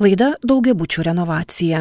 Laida Daugiabučių renovacija.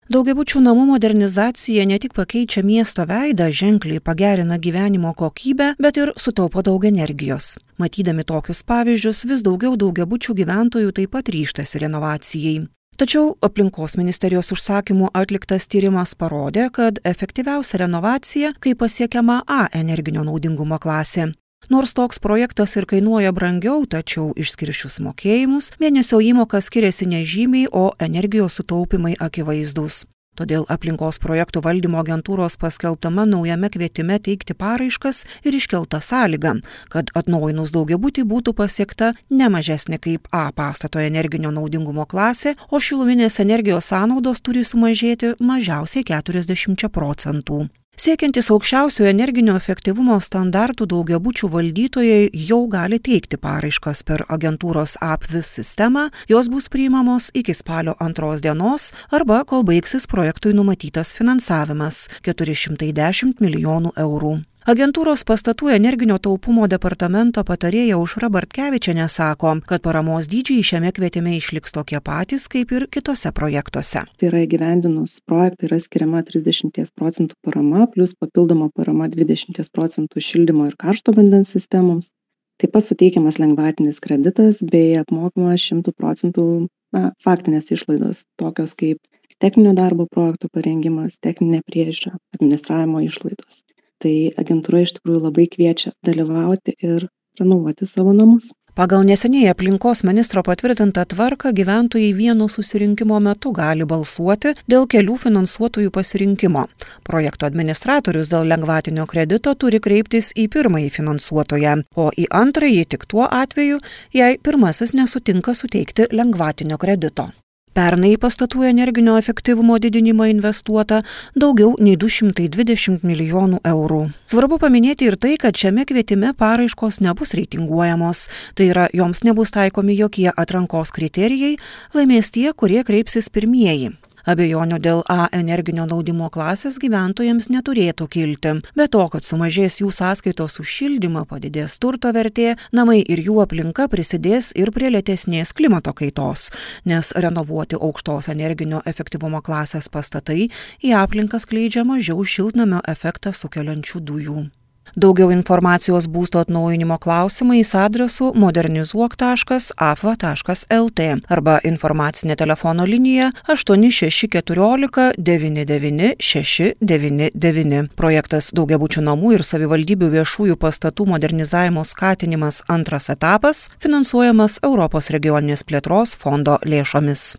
Daugiabučių namų modernizacija ne tik pakeičia miesto veidą, ženkliai pagerina gyvenimo kokybę, bet ir sutaupo daug energijos. Matydami tokius pavyzdžius, vis daugiau daugiabučių gyventojų taip pat ryžtasi renovacijai. Tačiau aplinkos ministerijos užsakymų atliktas tyrimas parodė, kad efektyviausia renovacija, kai pasiekiama A energinio naudingumo klasė. Nors toks projektas ir kainuoja brangiau, tačiau išskirsčius mokėjimus, mėnesio įmoka skiriasi nežymiai, o energijos sutaupimai akivaizdūs. Todėl aplinkos projektų valdymo agentūros paskelbtame naujame kvietime teikti paraiškas ir iškelta sąlyga, kad atnaujinus daugiabutį būtų pasiekta ne mažesnė kaip A pastato energinio naudingumo klasė, o šiluminės energijos sąnaudos turi sumažėti mažiausiai 40%. Siekiantis aukščiausio energinio efektyvumo standartų daugiabučių valdytojai jau gali teikti paraiškas per agentūros APVIS sistemą, jos bus priimamos iki spalio 2 dienos arba kol baigsis projektui numatytas finansavimas – 410 milijonų eurų. Agentūros pastatų energinio taupumo departamento patarėja Aušra Bartkevičienė sako, kad paramos dydžiai šiame kvietime išliks tokie patys kaip ir kitose projektuose. Tai yra įgyvendinus projektą yra skiriama 30% parama, plus papildoma parama 20% šildymo ir karšto vandens sistemoms. Taip pat suteikiamas lengvatinis kreditas bei apmokamas 100% faktinės išlaidos, tokios kaip techninio darbo projektų parengimas, techninė priežiūra, administravimo išlaidos. Tai agentūra iš tikrųjų labai kviečia dalyvauti ir renovuoti savo namus. Pagal neseniai aplinkos ministro patvirtintą tvarką gyventojai vieno susirinkimo metu gali balsuoti dėl kelių finansuotojų pasirinkimo. Projekto administratorius dėl lengvatinio kredito turi kreiptis į pirmąjį finansuotoją, o į antrąjį tik tuo atveju, jei pirmasis nesutinka suteikti lengvatinio kredito. Pernai į pastatų energinio efektyvumo didinimą investuota daugiau nei 220 milijonų eurų. Svarbu paminėti ir tai, kad šiame kvietime paraiškos nebus reitinguojamos, tai yra joms nebus taikomi jokie atrankos kriterijai, laimės tie, kurie kreipsis pirmieji. Abejonių dėl A energinio naudingumo klasės gyventojams neturėtų kilti. Be to, kad sumažės jų sąskaitos už šildymą, padidės turto vertė, namai ir jų aplinka prisidės ir prie lėtesnės klimato kaitos, nes renovuoti aukštos energinio efektyvumo klasės pastatai į aplinką skleidžia mažiau šiltnamio efektą sukeliančių dujų. Daugiau informacijos būsto atnaujinimo klausimais adresu modernizuok.apva.lt arba informacinė telefono linija 8614 99 699. Projektas Daugiabučių namų ir savivaldybių viešųjų pastatų modernizavimo skatinimas antras etapas finansuojamas Europos regioninės plėtros fondo lėšomis.